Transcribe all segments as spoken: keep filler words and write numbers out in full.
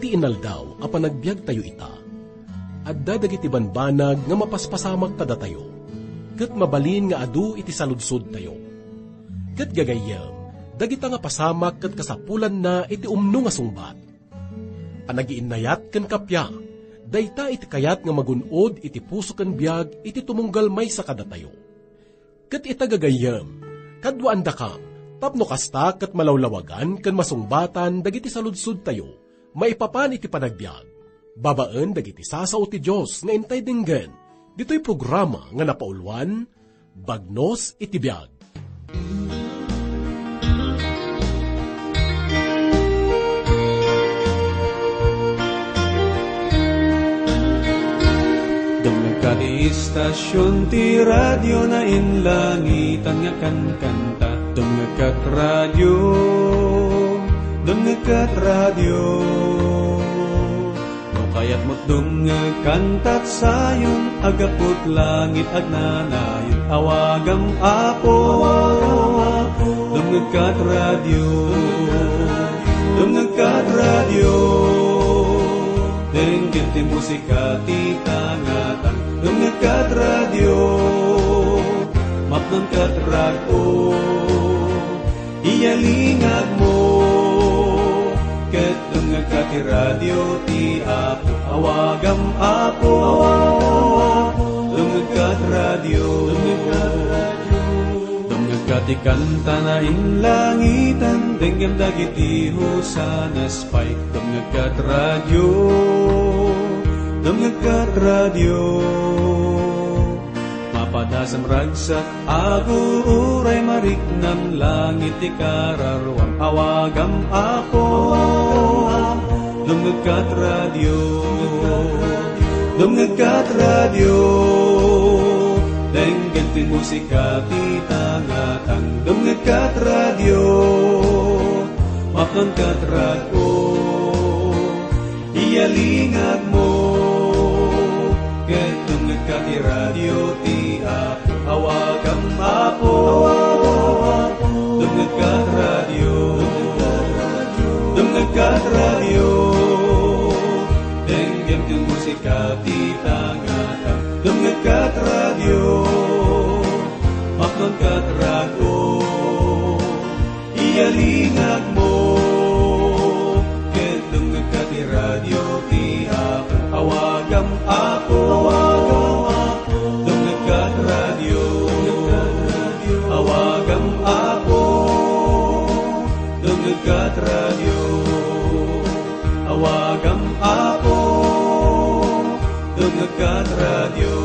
Inaldaw a panagbiagtayo ita, adda dagiti banbanag nga mapaspasamak kadatayo, ket mabalin nga adu iti saludsodtayo. Ket gagayyem, dagita nga pasamak ket kasapulanna iti umno nga sungbat. Panagiinnayat ken kappia, dayta iti kayat nga magun-od iti puso ken biag iti tumunggal maysa kadatayo. Ket ita gagayyem, kaduaandakam, tapno kasta ket malawlawagan ken masungbatan dagiti saludsodtayo maipapan iti panagbiag, babaen dagiti sasao ti Dios nga intay denggen, ditoy programa nga napauluan, Bagnos iti Biag. Dumngegka ti istasion ti radio, nainlangitan nga kankanta. Dumngegkat radio, dumngegkat radio. No kayatmo't dumngeg kantat sayon, agaput langit agnanayon, awagam Apo. Dumngegkat radio, dumngegkat radio. Denggen ti musika ti tangatang. Dumngegkat radio, mapnangkat radio. Iyalingagmo, ket dumngegka ti radio ti Apo. Awagam Apo, dumngegkat radio. Dumngegka ti kanta, nainlangitan, denggem dagiti hosanas pay. Dumngegkat radio, dumngegkat radio. Mapadasam ragsak, aguray mariknam, langit ti kararuam, awagam Apo. Dumngegkat radio, dumngegkat radio, denggen ti musika ti tangatang. Dumngegkat radio, mapnangkat radio. Iyalingagmo, ket dumngegka ti radio ti Apo. Awagam Apo, dumngegka ti radio, dumngegka ti radio. Denggem ti musika ti tangatang. Dumngegka ti radio, mapnangkat radio. Iyalingagmo, ket dumngegka ti radio ti Apo. Awagam Apo, dumngegka ti radio. Awagam Apo, dumngegka ti radio. Awagam Apo, dumngegka ti radio.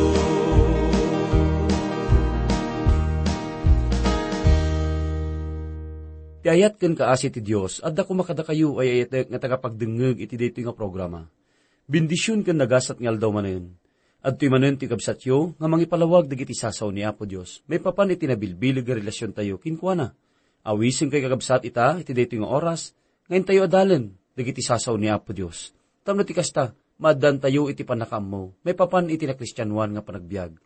Ti ayat ken kaasi ti Dios, adda koma kadakayo, ay-ayatek nga tagapagdengngeg iti daytoy nga programa. Bendision ken nagasat nga aldaw manen. Adtoy manen ti kabsatyo nga mangipalawag dagiti sasao ni Apo Dios maipapan iti nabilbileg nga relasiontayo kenkuana. Awisen kay kakabsat ita iti daytoy nga oras nga intayo adalen dagiti sasao ni Apo Dios. Tapno ti kasta, maaddantayo iti pannakaammo maipapan iti nakristianoan nga panagbiag.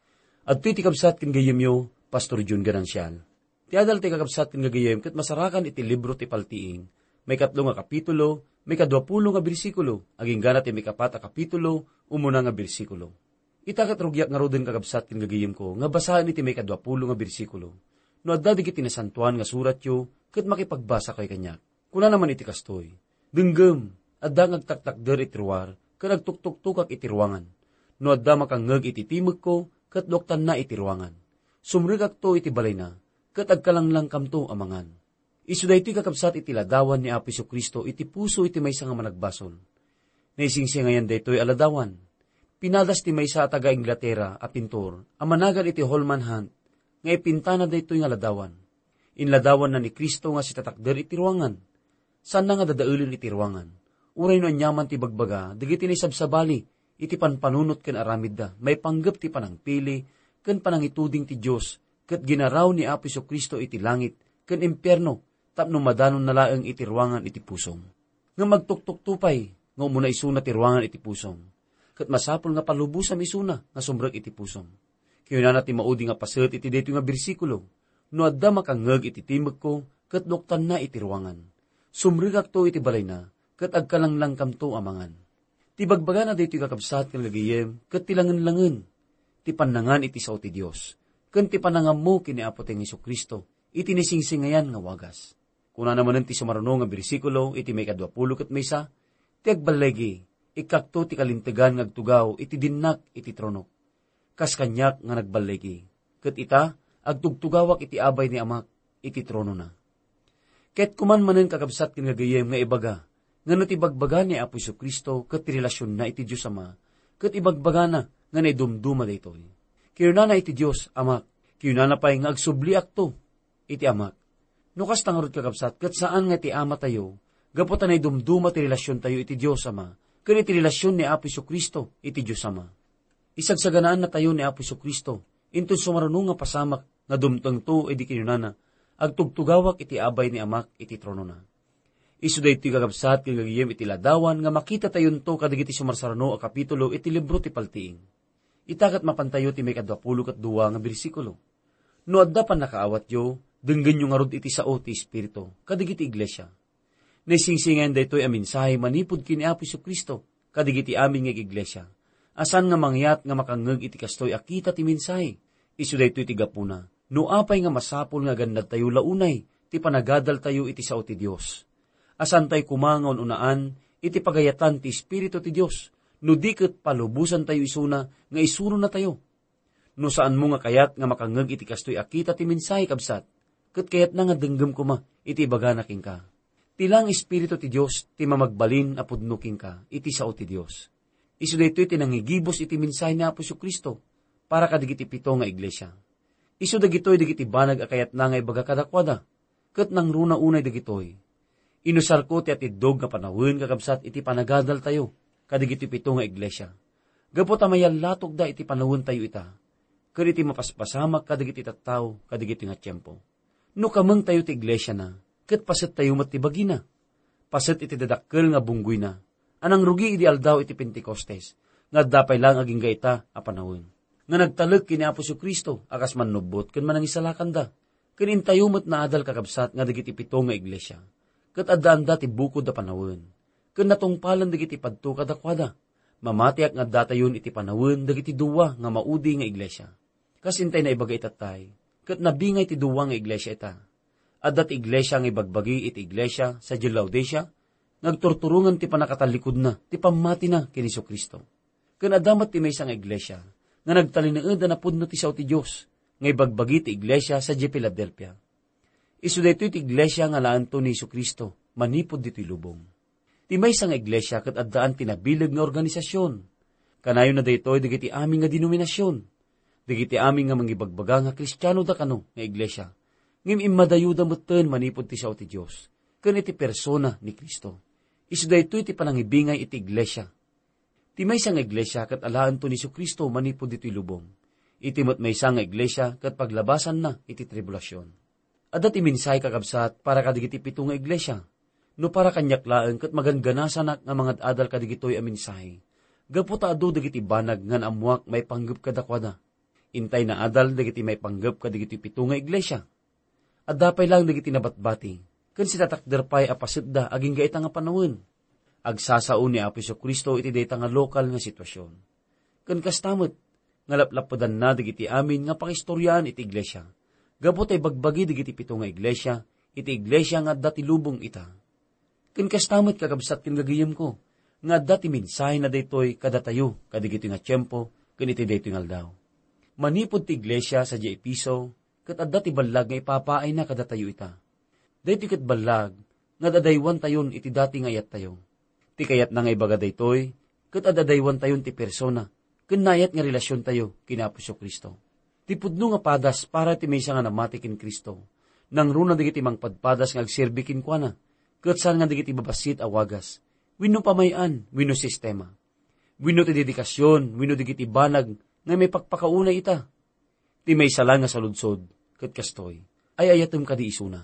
Adtoy ti kabsat ken gayyemyo, Pastor Jun Ganancial. Ti adal ti kakabsat ken gagayyem ket masarakan iti libro ti Paltiing, maikatlo nga kapitulo, maikaduapulo nga bersikulo, agingga ti maikapat a kapitulo, umuna nga bersikulo. Ita ket rugiak ngaruden, kakabsat ken gagayyemko, nga basaen iti maikaduapulo nga bersikulo. No adda dagiti nasantoan nga suratyo, ket makipagbasakayo kaniak. Kunana man iti kastoy, "Denggem, adda nga agtaktakder iti ruar, ket agtuktuktukak iti ruangan. No adda makangngeg iti timekko, ket luaktanna iti ruangan. Sumrekakto iti balayna, ket agkalanglangkamto a mangan." Isu daytoy, kakabsat, iti ladawan ni Apo Jesu-Cristo iti puso iti maysa nga managbasol. Naisingsingayan daytoy a ladawan. Pinadas ti maysa a taga-Inglatera a pintor a managan iti Holman Hunt nga ipintana daytoy nga ladawan. Inladawanna ni Cristo nga sitatakder iti ruangan. Saanna nga dadaelen iti ruangan. Uray no aniaman ti ibagbaga dagiti naisabsabali iti panpanunot ken aramidda maipanggep ti panangpili ken panangituding ti Dios ket ginaraw ni Apo Jesu-Cristo iti langit ken impierno tapno madanonna laeng iti ruangan iti pusom. Ngem agtuktukto pay nga umuna isuna ti ruangan iti pusom, ket masapul nga palubosam isuna nga sumrek iti pusom. Kinunana ti maudi nga paset iti daytoy nga bersikulo, "No adda makangngeg iti timekko, ket luaktanna iti ruangan. Sumrekakto iti balayna, ket agkalanglangkamto a mangan. Ti bagbagana daytoy, kakabsat ken gagayem, ket ti langenlangen ti pannangan iti sao ti Dios, ken ti panangammo ken ni Apotayo Jesu-Cristo iti naisingsingayan nga wagas. Kunana manen ti sumaruno nga bersikulo iti maikadua pulo ket maysa, "Ti agballigi, ikkakto ti kalintegan nga agtugaw iti dinnak iti tronok, kas kaniak nga nagballigi. Ket ita, agtugtugawak iti abay ni Amak iti tronona." Ket kuman manen, kakabsat ken gagayem, nga ibaga nga no ti ibagbaga ni Apo Jesu-Cristo ket ti relasionna iti Dios Ama, ket ibagbagana nga naidumduma daytoy. Kinunana iti Dios, "Amak," kinunana pay nga, "Agsubliakto iti Amak." No kasta ngarud, kakabsat, ket saan nga iti Amatayo, gapu ta naidumduma ti relasiontayo iti Dios Ama ken iti relasion ni Apo Jesu-Cristo iti Dios Ama. Isagsaganaannatayo ni Apo Jesu-Cristo inton sumaruno nga pasamak nga dumtengto idi kinunana, "Agtugtugawak iti abay ni Amak iti tronona." Isu daytoy, kakabsat ken gagayem, iti ladawan nga makitatayonto kadagiti sumarsaruno a kapitulo iti libro ti Paltiing. Ita ket mapantayo ti maikadua pulo ket dua nga bersikulo, "No adda pannakaawatyo, denggenyo ngarud iti sao ti Espiritu kadagiti iglesia." Naisingsingayan daytoy a mensahe manipud ken ni Apo Jesu-Cristo kadagiti amin nga iglesia, a saan nga mangyat nga makangngeg iti kastoy a kita ti mensahe. Isu daytoy ti gapuna no apay nga masapul nga agannadtayo la unay ti panagadaltayo iti sao ti Dios. A saantayo koma nga un-unaan iti pagayatan ti Espiritu ti Dios, no di ket palubosantayo isuna nga isuronnatayo. No saanmo nga kayat nga makangngeg iti kastoy a kita ti mensahe, kabsat, ket kayatna nga denggem koma iti ibagana kenka. Ti laeng Espiritu ti Dios ti mamagbalin a pudno kenka iti sao ti Dios. Isu daytoy ti nangigibus iti mensahe ni Apo Jesu-Cristo para kadagiti pito nga iglesia. Isu dagitoy dagiti banag a kayatna nga ibaga kadakuada, ket nangruna unay dagitoy. Inusarko ti atiddog nga panawen, kakabsat, iti panagadaltayo kadagiti pito nga iglesia, gapu ta mayallatokda iti panawentayo ita, ken iti mapaspasamak kadagiti tattao kadagiti nga tiempo. No kamengtayo ti iglesiana, ket pasettayo met ti bagina. Paset iti dadakkel nga bunggoyna a nangrugi idi aldaw iti Pentecostes, nga adda pay laeng agingga ita a panawen, nga nagtalek ken ni Apo Jesu-Cristo a kas mannubbot ken manangisalakanda. Ken intayo met naadal, kakabsat, nga dagiti pito nga iglesia ket addaanda ti bukod a panawen, ken natungpalen dagiti padto kadakuada. Mamatiak nga addatayon iti panawen dagiti dua nga maudi nga iglesia. Kas intay naibaga itattay, ket nabingay ti dua nga iglesia ita. Adda ti iglesia nga ibagbagi iti iglesia sadiay Laodicea, nga agturturongen ti pannakatallikudna ti pammatina ken Jesu-Cristo. Ken adda met ti maysa nga iglesia nga nagtalinaed a napudno ti sao ti Dios, nga ibagbagi ti iglesia sadiay Filadelfia. Isu daytoy ti iglesia nga alaento ni Jesu-Cristo manipud ditoy lubong. Ti maysa nga iglesia ket addaan ti nabileg nga organisasion. Kanayonna daytoy dagiti amin nga denominasion, dagiti amin nga mangibagbaga nga Kristiano da kano nga iglesia, ngem immadayoda metten manipud ti sao ti Dios ken iti persona ni Cristo. Isu daytoy ti panangibingay iti iglesia. Ti maysa nga iglesia ket alaento ni Jesu-Cristo manipud ditoy lubong. Iti met maysa nga iglesia ket paglabasanna iti tribulasion. Adda ti mensahe, kakabsat, para kadagiti pito nga iglesia. No para kaniak laeng ket magangganasanak nga mangad-adal kadagitoy a mensahe, gapu ta adu dagiti banag nga naammoak maipanggep kadakuada. Intay naadal dagiti maipanggep kadagiti pito nga iglesia. Adda pay laeng dagiti nabatbati, ken sinatakder pay a pasetda agingga ita nga panawen. Agsasao ni Apo Jesu-Cristo iti dayta nga lokal nga situasion. Ken kasta met nga laplapudanna dagiti amin nga pakaistoriaan iti iglesia, gapu ta ibagbagi dagiti pito nga iglesia iti iglesia nga adda ti lubong ita. Ken kasta met, kakabsat ken gagayemko, nga adda ti mensahena daytoy kadatayo kadagitoy nga tiempo ken iti daytoy nga aldaw. Manipud ti iglesia sadiay Efeso, ket adda ti ballag nga ipapaayna kadatayo ita. Daytoy ket ballag nga ad-adaywantayon iti dati nga ayattayo. Ti kayatna nga ibaga daytoy, ket ad-adaywantayon ti persona ken naayat nga relasiontayo ken Apo Jesu-Cristo. Ti pudno nga padas para ti maysa nga namati ken Cristo, nangruna dagiti mangpadpadas nga agserbi kenkuana, ket saan nga dagiti babassit a wagas, wenno pamay-an, wenno sistema, wenno ti dedikasion, wenno dagiti banag nga maipakpakaunay ita. Ti maysa laeng nga saludsod ket kastoy: ay-ayatem kadi isuna?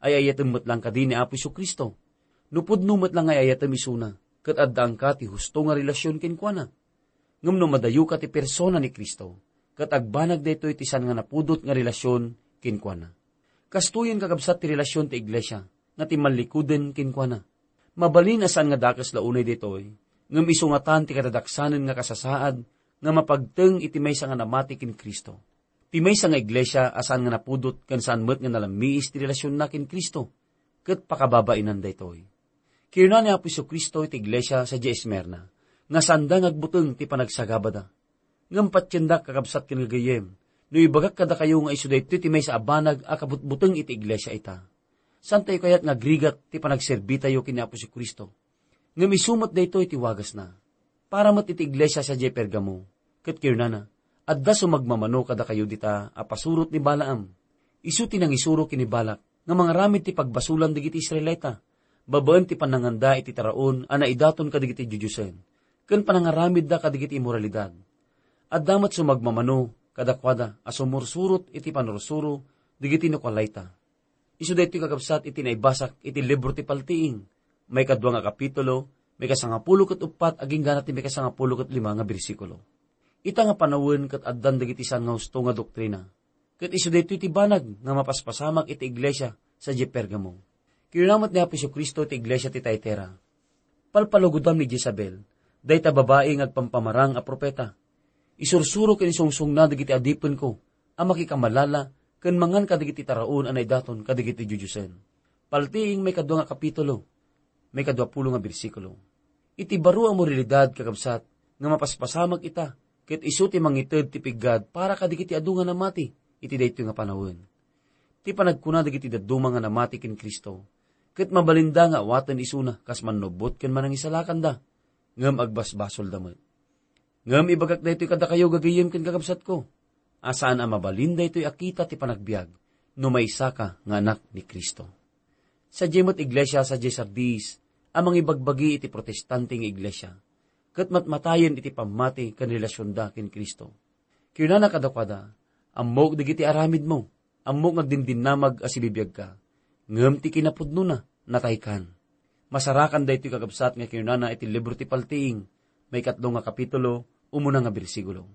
Ay-ayatem met laeng kadi ni Apo Jesu-Cristo? No pudno met laeng nga ay-ayatem isuna, ket addaanka ti husto nga relasion kenkuana. Ngem no madayoka ti persona ni Cristo, ket agbanag daytoy ti saan nga napudot nga relasion kenkuana. Kastoyen, kakabsat, ti relasion ti iglesia nga timmallikoden kenkuana. Mabalin a saan nga dakes la unay daytoy, ngem isu ngatan ti kadadaksanen nga kasasaad nga mapagteng iti maysa nga namati ken Cristo. Ti maysa nga iglesia a saan nga napudot ken saan met nga nalammiis ti relasionna ken Cristo, ket pakababainan daytoy. Kinuna ni Apo Jesu-Cristo iti iglesia sadiay Esmirna nga saanda nga agbuteng ti panagsagabada. Ngem patiendak, kakabsat ken gagayyem, no ibagak kadakayo nga isu daytoy ti maysa a banag a kabutbuteng iti iglesia ita. Saantayo kayat nga agrigat ti panagserbitayo ken ni Apo Jesu-Cristo? Ngem isu met daytoy ti wagasna. Para met iti iglesia sadiay Pergamo, ket kinunana, "Adda sumagmamano kadakayo dita a pasurot ni Balaam. Isu ti nangisuro ken ni Balak nga mangaramid ti pagbasolan dagiti Israelita, babaen ti pananganda iti taraon a naidaton kadagiti diodiosen, ken panangaramidda kadagiti immoralidad. Adda met sumagmamano kadakuada a sumursurot iti panursuro dagiti Nicolaita." Isu daytoy, kakabsat, iti naibasak iti libro ti Paltiing, maikadua nga kapitulo, maikasangapulo ket uppat agingga ti maikasangapulo ket lima nga bersikulo. Ita nga panawen ket addan dagiti saan nga husto nga doktrina. Ket isu daytoy ti banag nga mapaspasamak iti iglesia sadiay Pergamo. Kinuna met ni Apo Jesu-Cristo iti iglesia ti Tiatira, "Palpalugodam ni Jezabel, dayta babai nga agpampamarang a profeta. Isursuro ken isungsongna dagiti adipenko a makikamalala ken mangan kadagiti taraon a naidaton kadagiti diodiosen." Paltiing, maikadua nga kapitulo, maikadua pulo nga bersikulo. Iti baro a moralidad, kakabsat, nga mapaspasamak ita, ket isu ti mangited ti piggad para kadagiti adu nga namati iti daytoy nga panawen. Ti panagkuna dagiti dadduma nga namati ken Cristo, ket mabalinda nga awaten isuna kas mannubbot ken manangisalakanda, ngem agbasbasolda met. Ngem ibagak daytoy kadakayo, gagayyem ken kakabsatko, a saan a mabalin daytoy a kita ti panagbiag no maysaka nga anak ni Cristo. Sadiay met iglesia sadiay Sardis a mangibagbagi iti protestante nga iglesia, ket matmatayen iti pammati ken relasionda ken Cristo. Kinunana kadakuada, "Ammok dagiti aramidmo, ammok nga agdindinnamag a sibibiagka, ngem ti kinapudnona, nataykan." Masarakan daytoy, kakabsat, nga kinunana iti libro ti Paltiing, maikatlo nga kapitulo, umuna nga bersikulo.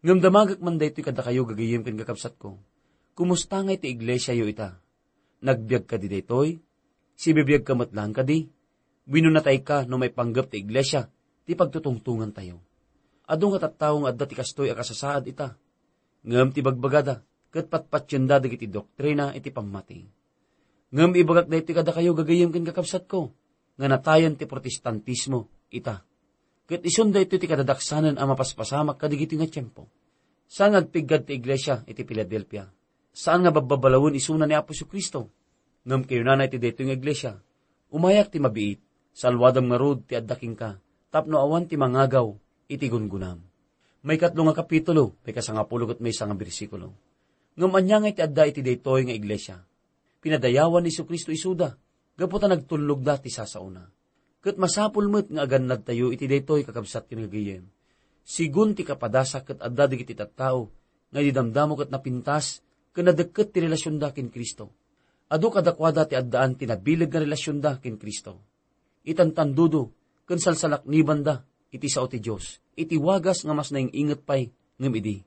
Ngem damagek man daytoy kadakayo, gagayyem ken kakabsatko. Kumusta ngay ti iglesiayo ita? Nagbiag kadi daytoy? Sibibiagka met laeng kadi? Wenno natayka no maipanggep ti iglesia ti pagtutungtongantayo? Adu nga tattao nga adda ti kastoy a kasasaad ita. Ngem ti bagbagada ket patpatienda dagiti doktrina iti pammati. Ngem ibagak daytoy kadakayo, gagayyem ken kakabsatko, nga natayen ti protestantismo ita. Ket isun daytoy ti kadadaksanen a mapaspasamak kadigitoy nga tiempo. Saan nga agpiggad ti iglesia iti Filadelfia. Saan nga babbabalawen isuna ni Apo Jesu-Cristo. Ngem kinunana iti daytoy nga iglesia, "Umayak ti mabiit, salwadam ngarud ti adda kenka, tapno awan ti mangagaw iti gungonam." Maikatlo nga kapitulo, maikasangapulo ket maysa nga bersikulo. Ngem ania nga iti adda iti daytoy nga iglesia? Pinadayawan ni Jesu-Cristo isuda, gapu ta nagtulnogda ti sasaona. Ket masapul met nga agannadtayo iti daytoy, kakabsat ken gagayyem. Sigun ti kapadasak ket adda dagiti tattao nga idi damdamo ket napintas ken nadekket ti relasionda ken Cristo. Adu kadakuada ti addaan ti nabileg nga relasionda ken Cristo. Itantandudo ken salsalaknibanda iti sao ti Dios, iti wagas nga mas naing-inget pay ngem idi.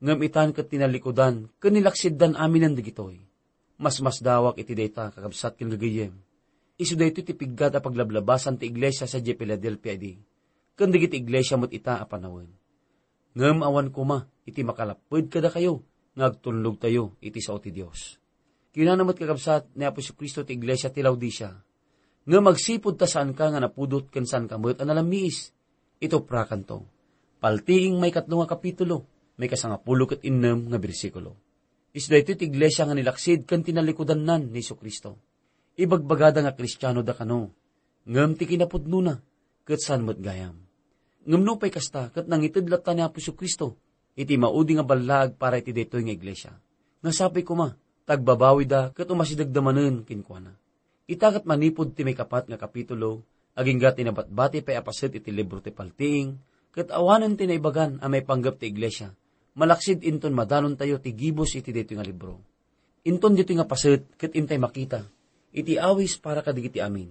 Ngem itan ket tinalikudan ken nilaksiddan aminen dagitoy. Masmasdawak iti dayta, kakabsat ken gagayyem. Isu daytoy ti piggad a paglablabasan ti iglesia sadiay Filadelfia idi, ken dagiti iglesia met ita a panawen. Ngem awan koma iti makalapped kadakayo nga agtulnogtayo iti sao ti Dios. Kinuna met, kakabsat, ni Apo Jesu-Cristo ti iglesia ti Laodicea, "Ngem agsipud ta saanka nga napudot ken saanka met a nalammiis, ituprakanto." Paltiing, maikatlo nga kapitulo, maikasangapulo ket innem nga bersikulo. Isu daytoy ti iglesia nga nilaksid ken tinalikudannan ni Jesu-Cristo. Ibagbagada nga Kristianoda kano, ngem ti kinapudnona ket saan met gayam. Ngem nupay kasta, ket nangited latta ni Apo Jesu-Cristo iti maudi nga ballaag para iti daytoy nga iglesia. Nga sapay koma, ta agbabawida ket umasidegda manen kenkuana. Ita ket manipud ti maikapat nga kapitulo, agingga ti nabatbati pay a paset iti libro ti Paltiing, ket awanen ti naibagan a maipanggep ti iglesia, malaksid inton madanontayo ti gibus iti daytoy nga libro. Inton ditoy nga paset ket intay makita iti awis para kadagiti amin.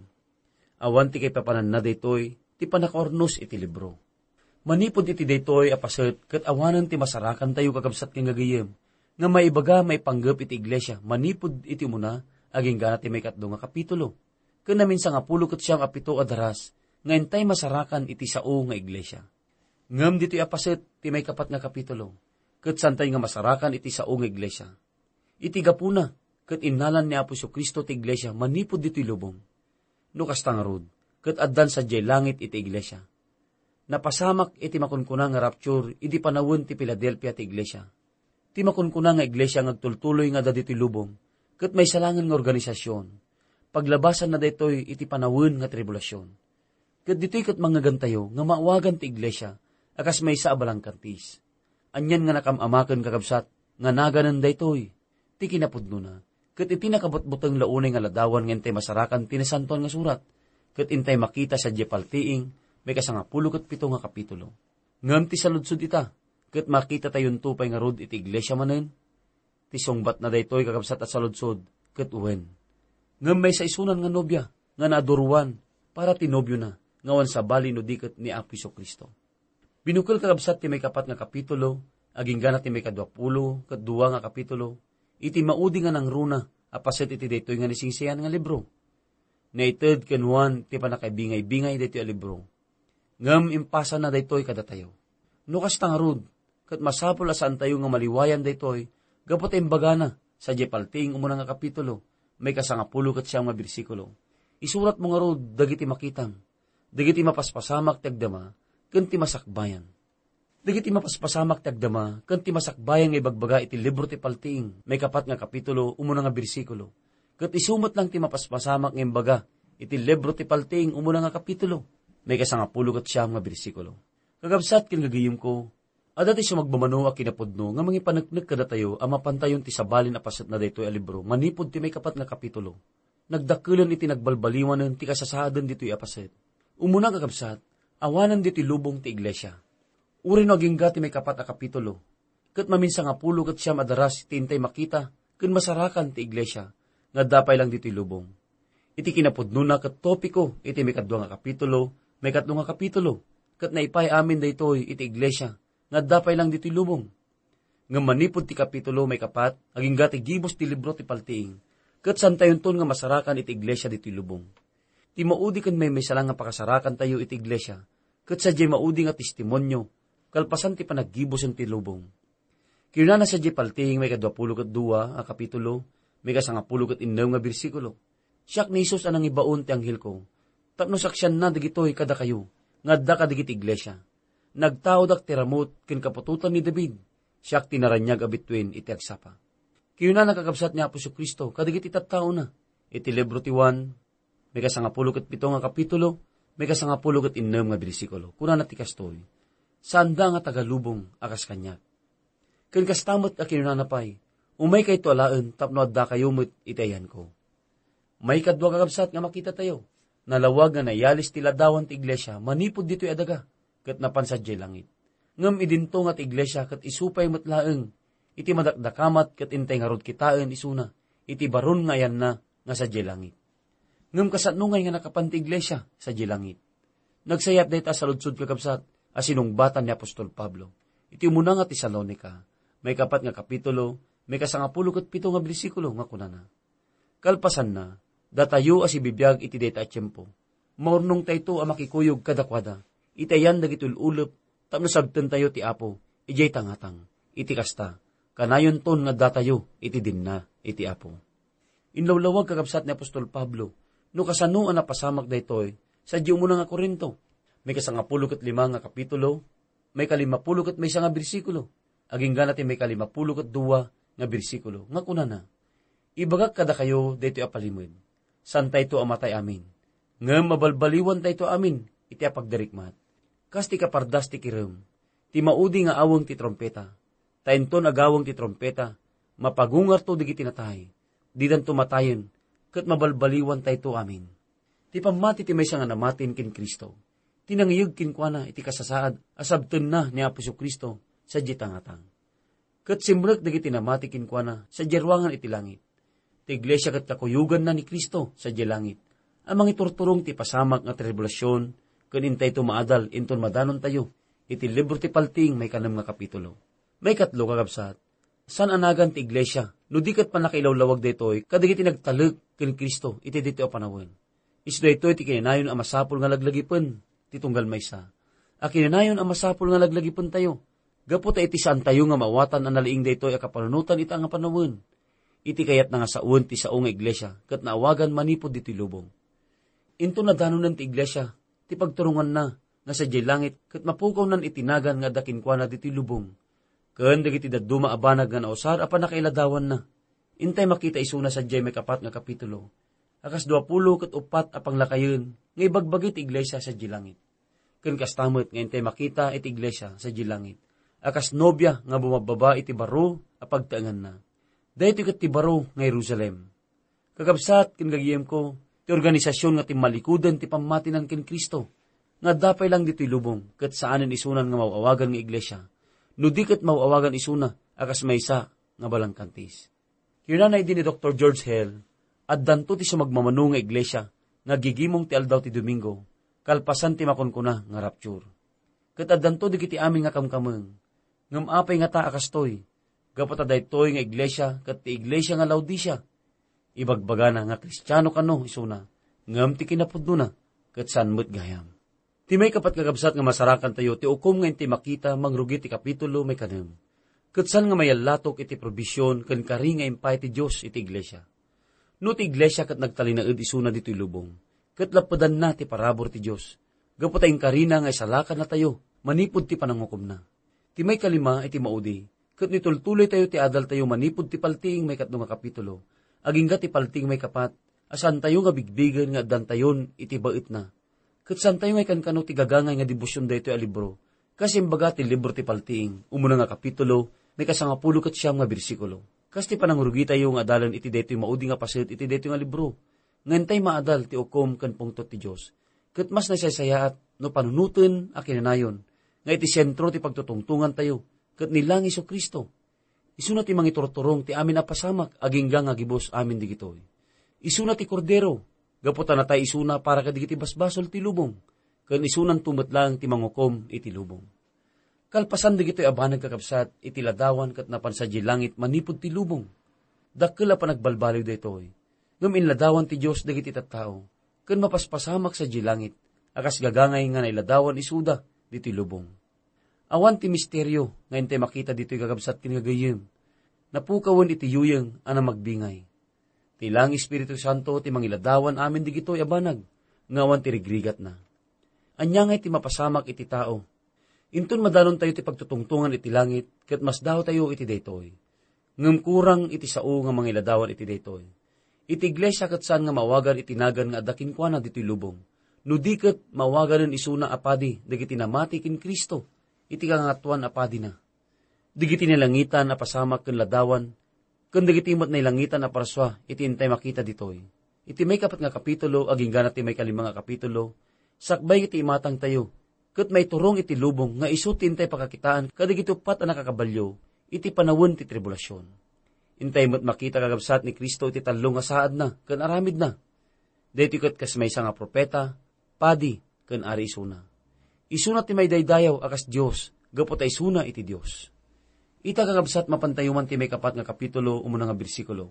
Awan ti kaipapananna daytoy ti pannakaurnos iti libro. Manipud iti daytoy a paset ket awanen ti masarakantayo, kakabsat ken gagayyem, nga maibaga maipanggep iti iglesia manipud iti umuna agingga ti maikatlo nga kapitulo. ken naminsangapulo ket siam a pito a daras nga intay masarakan iti sao nga iglesia. Ngem ditoy a paset ti maikapat nga kapitulo, ket santay nga masarakan iti sao nga iglesia. Iti gapuna, ket innalan ni Apo Jesu-Cristo ti iglesia manipud ditoy lubong. No kasta ngarud, ket addan sadiay langit iti iglesia. Napasamak iti makunkuna nga rapture idi panawen ti Filadelfia ti iglesia. Ti makunkuna nga iglesia nga agtultuloy nga adda ditoy lubong, ket maysa laengen nga organisasyon. Paglabasanna daytoy iti panawen nga tribulasion. Ket ditoy ket mangngegantayo nga maawagan ti iglesia a kas maysa a balangkantis. Anian nga nakam-amaken, kakabsat, nga naganen daytoy ti kinapudnona, ket iti nakabutbuteng la unay nga ladawan nga intay masarakan ti Nasantoan nga Surat, ket intay makita sadiay paltiing maikasangapulo ket pito nga kapitulo. Ngem ti saludsod ita, ket makitatayonto pay ngarud iti iglesia manen? Ti sungbatna daytoy, kakabsat a saludsod, ket wen. Ngem maysa isunan nga nobia nga naaduroan para ti nobiona nga awan sabali no di ket ni Apo Jesu-Cristo. Binukel, kakabsat, ti maikapat nga kapitulo, agingga na ti maikaduapulo ket dua nga kapitulo, iti maudi nga nangruna a paset iti daytoy nga naisingsian nga libro. Naited ken Juan ti pannakaibingaybingay daytoy a libro. Ngem impasanna daytoy kadatayo. No kasta ngarud, ket masapul a saantayo nga maliwayan daytoy gapu ta imbagana sadiay paltiing umuna nga kapitulo, maikasangapulo ket siam nga bersikulo. Isuratmo ngarud dagiti makitam, dagiti mapaspasamak ti agdama ken ti masakbayan. Dagiti mapaspasamak ti agdama ken ti masakbayan nga ibagbaga iti libro ti Paltiing, maikapat nga kapitulo, umuna nga bersikulo. Ket isu met lang ti mapaspasamak nga imbaga iti libro ti Paltiing, umuna nga kapitulo, maikasangapulo ket siam nga bersikulo. Kakabsat ken gagayemko, adda ti sumagmamano a kinapudno nga mangipaneknek kadatayo a mapantayon ti sabalin a paset na daytoy a libro manipud ti maikapat nga kapitulo. Nagdakkelen iti nagbalbaliwanen ti kasasaaden ditoy a paset. Umuna, kakabsat, awanen ditoy lubong ti iglesia. Uray no agingga ti maikapat a kapitulo, ket maminsangapulo ket siam a daras ti intay makita ken masarakan ti iglesia nga adda pay lang ditoy lubong. Iti kinapudnona ket topiko iti maikadua nga kapitulo, maikatlo nga kapitulo, ket naipay amin daytoy iti iglesia nga adda pay lang ditoy lubong. Ngem manipud ti kapitulo maikapat, agingga ti gibus ti libro ti Paltiing, ket santayonton nga masarakan iti iglesia ditoy lubong. Ti maudi ken maymaysa lang nga pakasarakantayo iti iglesia, ket sadiay maudi nga testimonio, kalpasan ti panaggibusen ti lubong. Kinunana sadiay Paltiing, maikaduapulo ket dua a kapitulo, maikasangapulo ket innem nga bersikulo, "Siak ni Jesus a nangibaon ti anghelko, tapno saksianna dagitoy kadakayo nga adda kadagiti iglesia. Nagtaodak ti ramut ken kaputotan ni David. Siak ti naraniag a bituen iti agsapa." Kinunana, kakabsat, ni Apo Jesu-Cristo kadagiti tattaona iti libro ti Juan, maikasangapulo ket pito nga kapitulo, maikasangapulo ket innem nga bersikulo. Kunana ti kastoy, "Saanda nga taga lubong a kas kaniak." Ken kasta met a kinunana pay, "Umaykayto alaen tapno addakayo met iti ayanko." Maikadua, kakabsat, nga makitatayo, nalawag nga nayalis ti ladawan ti iglesia manipud ditoy a daga, ket napan sadiay langit. Ngem idinto nga ti iglesia ket isu pay met laeng iti madakdakamat ket intay ngarud kitaen isuna iti baron nga ayanna nga sadiay langit. Ngem kasano ngay nga nakapan ti iglesia sadiay langit? Nagsayat dayta a saludsod, kakabsat, a sinungbatan ni apostol Pablo iti umuna nga Tesalonica, maikapat nga kapitulo, maikasangapulo ket pito nga bersikulo, nga kunana, "Kalpasanna, datayo a sibibiag iti dayta a tiempo, maurnongtayto a makikuyog kadakuada iti ayan dagiti ul-ulep tapno sabtentayo ti Apo idiay tangatang. Iti kasta, kanayonton nga addatayo iti dinna iti Apo." Inlawlawag, kakabsat, ni apostol Pablo no kasano a napasamak daytoy sadiay umuna nga Corinto, maikasangapulo ket lima nga kapitulo, maikalimapulo ket maysa nga bersikulo, agingga na ti maikalimapulo ket dua nga bersikulo, nga kunana, "Ibagak kadakayo daytoy a palimed, saantayto a matay amin, ngem mabalbaliwantayto amin iti apagdarikmat. Kas ti kapardas ti kirem, ti maudi nga aweng ti trumpeta. Ta inton agaweng ti trumpeta, mapagungarto dagiti natay, didanto matayen, ket mabalbaliwantayto amin." Ti pammati ti maysa nga namatin ken Cristo, ti nangiyeg kenkuana iti kasasaad a sabtenna ni Apo Jesu-Cristo sadiay tangatang. Ket simrek dagiti namati kenkuana sadiay ruangan iti langit. Ti iglesia ket kakuyoganna ni Cristo sadiay langit a mangiturturong ti pasamak nga tribulasion ken intayto maadal inton madanontayo iti libro ti Paltiing, maikanem nga kapitulo. Maikatlo, kakabsat, saan a nagan ti iglesia no di ket pannakailawlawag daytoy kadagiti nagtalek ken Cristo iti ditoy a panawen. Isu daytoy ti kinanayon a masapul nga laglagipen ti tunggal maysa. A kinanayon a masapul nga laglagipentayo, gapu ta iti saantayo nga maawatan a nalaing daytoy a kapanunotan ita nga panawen. Iti kayatna nga sawen ti sao nga iglesia ket naawagan manipud ditoy lubong. Inton nadanonen ti iglesia, ti pagturonganna nga sadiay langit ket mapukawnan iti nagan nga adda kenkuana ditoy lubong, ken dagiti dadduma a banag nga nausar a pannakailadawanna. Intay makita isuna sadiay maikapat nga kapitulo, a kas duapulo ket uppat a panglakayen nga ibagbagi ti iglesia sadiay langit. Ken kasta met nga intay makita iti iglesia sadiay langit, a kas nobia nga bumabbaba iti baro a pagtaenganna. Daytoy ket ti baro nga Jerusalem. Kakabsat ken gagayemko, ti organisasyon nga timmalikoden ti pammatinan ken Cristo, nga adda pay lang ditoy lubong, ket saanen isunan nga maw-awagan nga iglesia, no di ket maw-awagan isuna a kas maysa nga balangkantis. Kinunana idi ni Doktor George Hale, addanto ti sumagmamano nga iglesia nga gigimong ti aldaw ti Domingo, kalpasan ti makunkuna nga rapture. Ket addanto dagiti amin nga kamkameng. Ngem apay ngata a kastoy? Gapu ta daytoy nga iglesia ket ti iglesia nga Laodicea. Ibagbagana nga Kristiano kano isuna, ngem ti kinapudnona ket saan met gayam. Ti maikapat nga kabsat nga masarakantayo ti ukom nga inti makita mangrugi ti kapitulo maikanem. Ket saan nga mayallatok iti probision ken kari nga impay ti Dios iti iglesia. No ti iglesia ket nagtalinaed isuna ditoy lubong, ket lappedanna ti parabur ti Dios, gapu ta inkarina nga isalakannatayo manipud ti panangukomna. Ti maikalima iti maudi, ket nitultuloytayo ti adaltayo manipud ti paltiing maikatlo nga kapitulo, agingga ti paltiing maikapat, a saantayo nga bigbigen nga addantayon iti baetna. Ket saantayo nga ikankano ti gagangay nga debosion daytoy a libro, kas imbaga ti libro ti paltiing, umuna nga kapitulo, maikasangapulo ket siam nga bersikulo. Kas ti panangrugitayo nga adalen iti daytoy maudi nga paset iti daytoy nga libro, nga intay maadal ti ukom ken pungtot ti Dios. Ket mas naisaysayaat no panunoten a kinanayon nga iti sentro ti pagtutungtongantayo ket ni lang Jesu-Cristo. Isuna ti mangiturturong ti amin a pasamak agingga nga gibus amin digitoy. Isuna ti Kordero, gapu ta natay isuna para kadagiti basbasol ti lubong, ken isunanto met laeng ti mangukom iti lubong. Kalpasan dagitoy a banag, kakabsat, iti ladawan ket napan sadiay langit manipud ti lubong. Dakkel a panagbalbaliw daytoy. Ngem inladawan ti Dios dagiti tattao, ken mapaspasamak sadiay langit, a kas gagangay nga nailadawan isuda ditoy lubong. Awan ti misterio nga intay makita ditoy, kakabsat ken gagayyem. Napukawen iti yuyeng a namagbingay. Ti lang Espiritu Santo ti mangiladawan amin digitoy a banag nga awan ti rigrigatna. Ania ngay ti mapasamak iti tao? Inton madalontayo ti pagtutungtongan iti langit, ket masdaotayo iti daytoy. Ngem kurang iti sao nga mangiladawan iti daytoy. Iti iglesia ket saan nga maawagan iti nagan nga adda kenkuana ditoy lubong, no di ket maawaganen isuna a padi dagiti namati ken Cristo iti Kangatoan a Padina. Dagiti nalangitan a pasamak ken ladawan, ken dagiti met nailangitan a parsua iti intay makita ditoy. Iti maikapat nga kapitulo, agingga na ti maikalima nga kapitulo, sakbay iti imatangtayo, ket maiturong iti lubong nga isu ti intay pakakitaan kadagiti uppat a nakakabalio iti panawen ti tribulasion. Intay met makita, kakabsat, ni Cristo iti tallo nga saadna ken aramidna. Daytoy ket kas maysa nga profeta, padi, ken ari isuna. Isuna ti maidaydayaw a kas Dios, gapu ta isuna iti Dios. Ita, kakabsat, mapantayo man ti maikapat nga kapitulo, umuna nga bersikulo.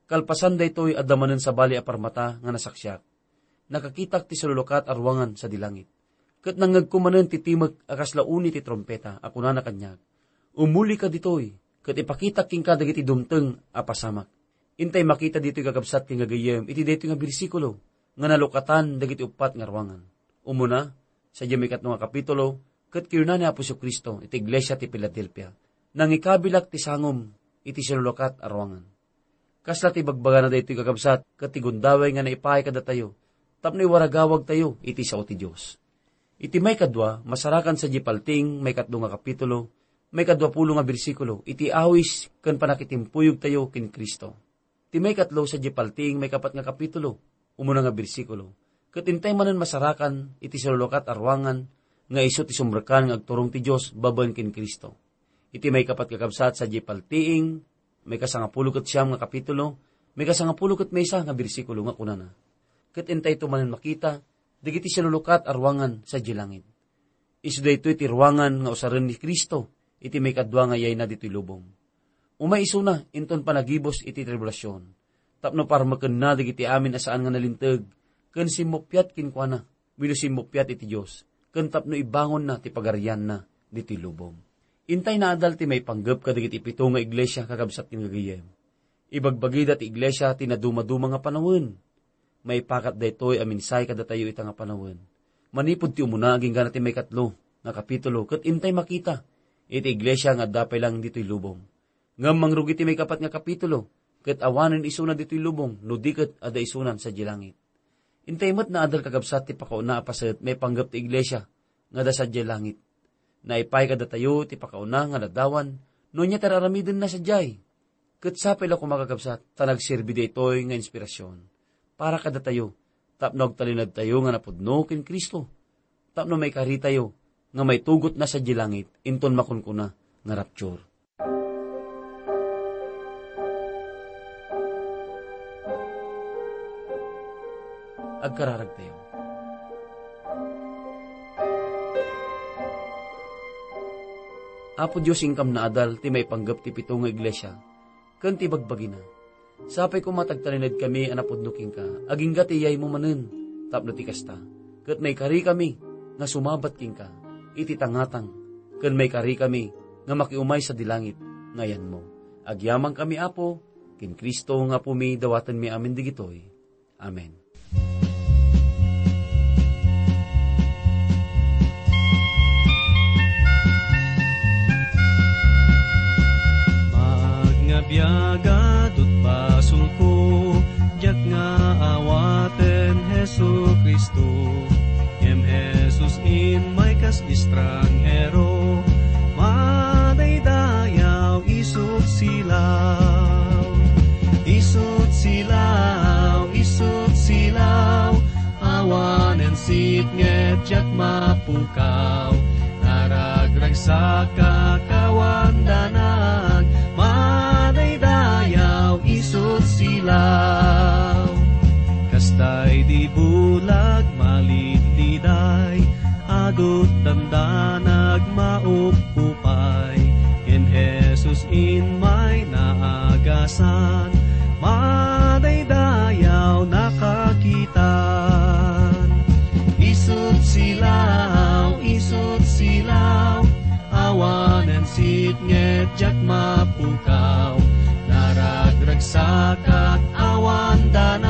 Kalpasan daytoy, adda manen sabali a parmata nga nasaksiak. Nakakitak ti salulukat a ruangan sadi langit. Ket nangngegko manen ti timek a kasla uni ti trumpeta a kunana kaniak, "Umulika ditoy, ket ipakitak kenka dagiti dumteng a pasamak." Intay makita ditoy, kakabsat ken gagayyem, iti daytoy nga bersikulo nga nalukatan dagiti uppat nga ruangan. Umuna, sadiay maikatlo nga kapitulo, ket kinuna ni Apo Jesu-Cristo iti iglesia ti Filadelfia, "Nangikabilak ti sangom iti sinulukat a ruangan." Kasla ti bagbagana daytoy, kakabsat, ket ti gundaway nga naipaay kadatayo tapno iwaragawagtayo iti sao ti Dios. Iti maikadua, masarakan sadiay paltiing maikatlo nga kapitulo, maikadua pulo nga bersikulo, iti awis ken pannakitimpuyogtayo ken Cristo. Ti maikatlo, sadiay paltiing maikapat nga kapitulo, umuna nga bersikulo, ket intay manen masarakan iti sinulukat a ruangan nga isu ti sumrekkan nga agturong ti Dios babaen ken Cristo. Iti maikapat, kakabsat, sadiay paltiing maikasangapulo ket siam nga kapitulo, maikasangapulo ket maysa nga bersikulo nga kunana, "Ket intayto manen makita dagiti sinulukat a ruangan sadiay langit." Isu daytoy ti ruangan nga usaren ni Cristo iti maikadua nga yayna ditoy lubong. Umay isuna inton panagibus iti tribulasion, tapno parmekenna dagiti amin a saan nga nalinteg, ken simmuppiat kenkuana, wenno simmuppiat iti Dios, ken tapno ibangonna ti pagarianna ditoy lubong. Intay naadal ti maipanggep kadagiti pito nga iglesia, kakabsat ken gagayyem. Ibagbagida ti iglesia ti nadumaduma nga panawen. Maipakat daytoy a mensahe kadatayo ita nga panawen. Manipud ti umuna agingga na ti maikatlo nga kapitulo, ket intay makita iti iglesia nga adda pay lang ditoy lubong. Ngem mangrugi ti maikapat nga kapitulo, ket awanen isuna ditoy lubong, no di ket adda isunan sadiay langit. Intay met naadal, kakabsat, ti pakauna a paset maipanggep ti iglesia nga adda sadiay langit. Naipay kadatayo ti pakauna nga ladawan no ania ti ar-aramidenna sadiay. Ket sapay la koma, kakabsat, ta nagserbi daytoy nga inspirasyon para kadatayo tapno agtalinaedtayo nga napudno ken Cristo, tapno maikaritayo nga maitugotna sadiay langit inton makunkuna nga rapture. Agkararagtayo. Apo Dios, inkam naadal ti maipanggep ti pito nga iglesia ken ti bagbagina. Sapay koma ta agtalinaedkami a napudno kenka, agingga ti iyaymo manen tapno ti kasta, ket maikarikami nga sumabat kenka iti tangatang, ken maikarikami nga makiumay sadi langit nga ayanmo. Agyamankami, Apo, ken Cristo nga Apomi, dawatenmi amin digitoy. Amen. Maag nga biagadot basolko, diak nga awaten Jesu-Cristo. Ngem Jesus immay kas estranghero, madaydayaw isut silaw. Isut silaw, isut silaw, awanen sitnget diak mapukaw. Naragragsakak awan danag, madaydayaw isut silaw. Kastay di bulag malidliday, adut dandanag maupupay. Ngem Jesus immay naagasan, madaydayaw nakakitan. Isut silaw, isut silaw, awanen sitnget diak mapukaw. Naragragsakak awan danag,